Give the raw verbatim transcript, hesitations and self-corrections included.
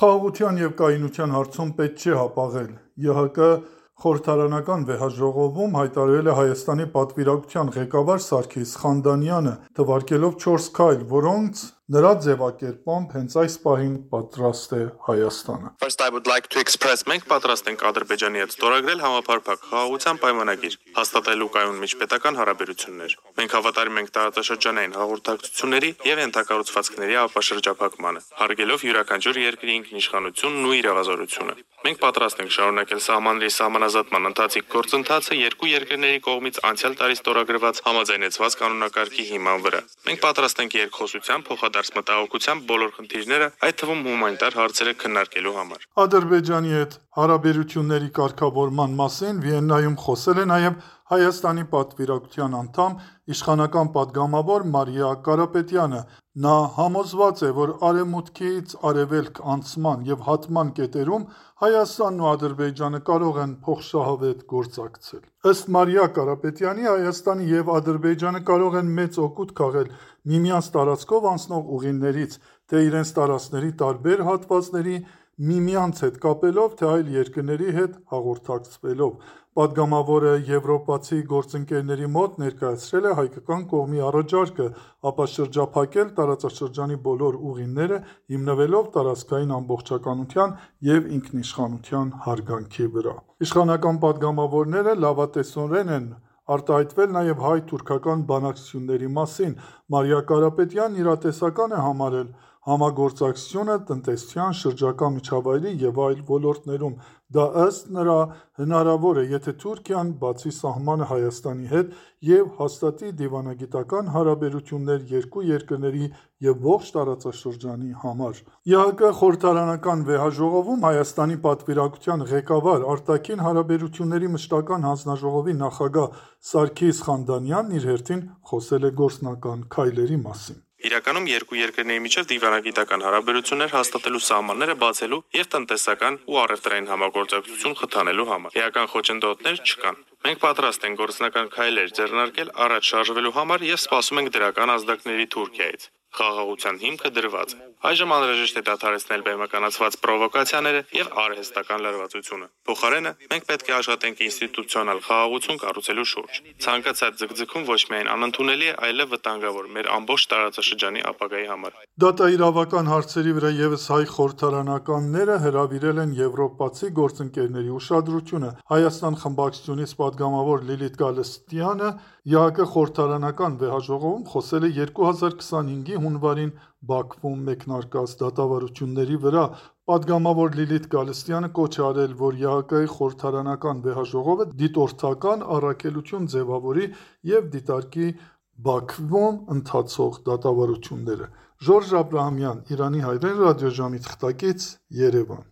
Խաղաղության և կայունության հարցում պետք չէ հապաղել։ ԵՀԿ խորհրդարանական վեհաժողովում հայտարարել է Հայաստանի պատվիրակության ղեկավար Սարգիս Խանդանյանը, թվարկելով չորս քայլ, որոնց նրա ձևակերպմամբ հենց այս պահին պատրաստ է Հայաստանը։ Մենք պատրաստ ենք Ադրբեջանի հետ ստորագրել համապարփակ խաղաղության պայմանագիր, հաստատելու կայուն միջպետական հարաբերություններ։ Մենք հավատարիմ ենք տարածաշրջանային հաղորդակցությունների և ենթակառուցվածքների ապաշրջափակմանը, հարգելով յուրաքանչյուր երկրի ինքնիշխանությունն ու իրավազորությունը։ Մենք պատրաստ ենք շարունակել սահմանների սահմանազատման ընթացիկ գործընթացը երկու երկրների կողմից անցյալ տարի ստորագրված համաձայնեցված կանոնակարգի հիման վրա։ Մենք պատրաստ ենք երկխոսության, փոխադարձ մտահոգության բոլոր խնդիրները, այդ թվում հումանիտար հարցերը քննարկելու համար։ Ադրբեջանի հետ հարաբերությունների կարգավորման մասին Վիեննայում խոսել է նաև Հայաստանի պատվիրակության անդամ, իշխանական պատգամավոր Մարիա Կարապետյանը։ Նա համոզված է, որ Արևմուտքից Արևելք անցման և հատման կետերում Հայաստանն ու Ադրբեջանը կարող են փոխշահավետ գործակցել։ Ըստ Մարիա Կարապետյանի, Հայաստանը և Ադրբեջանը կարող են մեծ օգուտ քաղել միմյանց տարածքով անցնող ուղիներից, թե իրենց տարածքների տարբեր հատվածների միմյանց հետ կապելով, թե այլ երկրների հետ հաղորդակցվելով։ Պատգամավորը եվրոպացի գործընկերների մոտ ներկայացրել է հայկական կողմի առաջարկը ապաշրջափակել տարածաշրջանի բոլոր ուղիները՝ հիմնվելով տարածքային ամբողջականության և ինքնիշխանության հարգանքի վրա։ Իշխանական պատգամավորները լավատեսորեն են արտահայտվել նաև հայ-թուրքական բանակցությունների մասին։ Մարիա Կարապետյանն իրատեսական է համարել համագործակցությունը տնտեսության, շրջակա միջավայրի և այլ ոլորտներում։ Դա ըստ նրա հնարավոր է, եթե Թուրքիան բացի սահմանը Հայաստանի հետ և հաստատի դիվանագիտական հարաբերություններ երկու երկրների և ողջ տարածաշրջանի համար։ ԵՀԿ խորհրդարանական վեհաժողովում Հայաստանի պատվիրակության ղեկավար, արտաքին հարաբերությունների մշտական հանձնաժողովի նախագահ Սարգիս Խանդանյանն իր հերթին խոսել է գործնական քայլերի մասին։ Իրականում երկու երկրների միջև դիվանագիտական հարաբերություններ հաստատելու սահմանները բացելու և տնտեսական ու առևտրային համագործակցություն խթանելու համար։ Էական խոչընդոտներ չկան։ Մենք պատրաստ ենք գործնական քայլեր ձեռնարկել առաջ շարժվելու համար և սպասում ենք դրական ազդակների Թուրքիայից։ Խաղաղության հիմքը դրված է։ Այժմ անհրաժեշտ է դադարեցնել բեմականացված պրովոկացիաները և արհեստական լարվածությունը։ Փոխարենը մենք պետք է աշխատենք ինստիտուցիոնալ խաղաղություն կառուցելու շուրջ։ Ցանկացած ձգձգում ոչ միայն անընդունելի է, այլև վտանգավոր մեր ամբողջ տարածաշրջանի ապագայի համար։ Դատաիրավական հարցերի վրա ևս հայ խորհրդարանականները հրավիրել են եվրոպացի գործընկերների ուշադրությունը։ Հայաստան խմբակցությունից պատգամավոր Լիլիթ Գալստյանը ԵՀԿ խորհրդարանական վեհաժողովում խոսել է երկու հազար քսանհինգի հունվարին Բաքվում մեկնարկած դատավարությունների վրա։ Պատգամավոր Լիլիթ Գալստյանը կոչ է արել, որ ԵՀԿ-ի խորհրդարանական վեհաժողովը դիտորդական առաքելություն ձևավորի և դիտարկի Բաքվում ընթացող դատավարությունները։ Ժորժ Աբրահամյան, Իրանի հայրեն ռադիոժամի թղթակից, Երևան։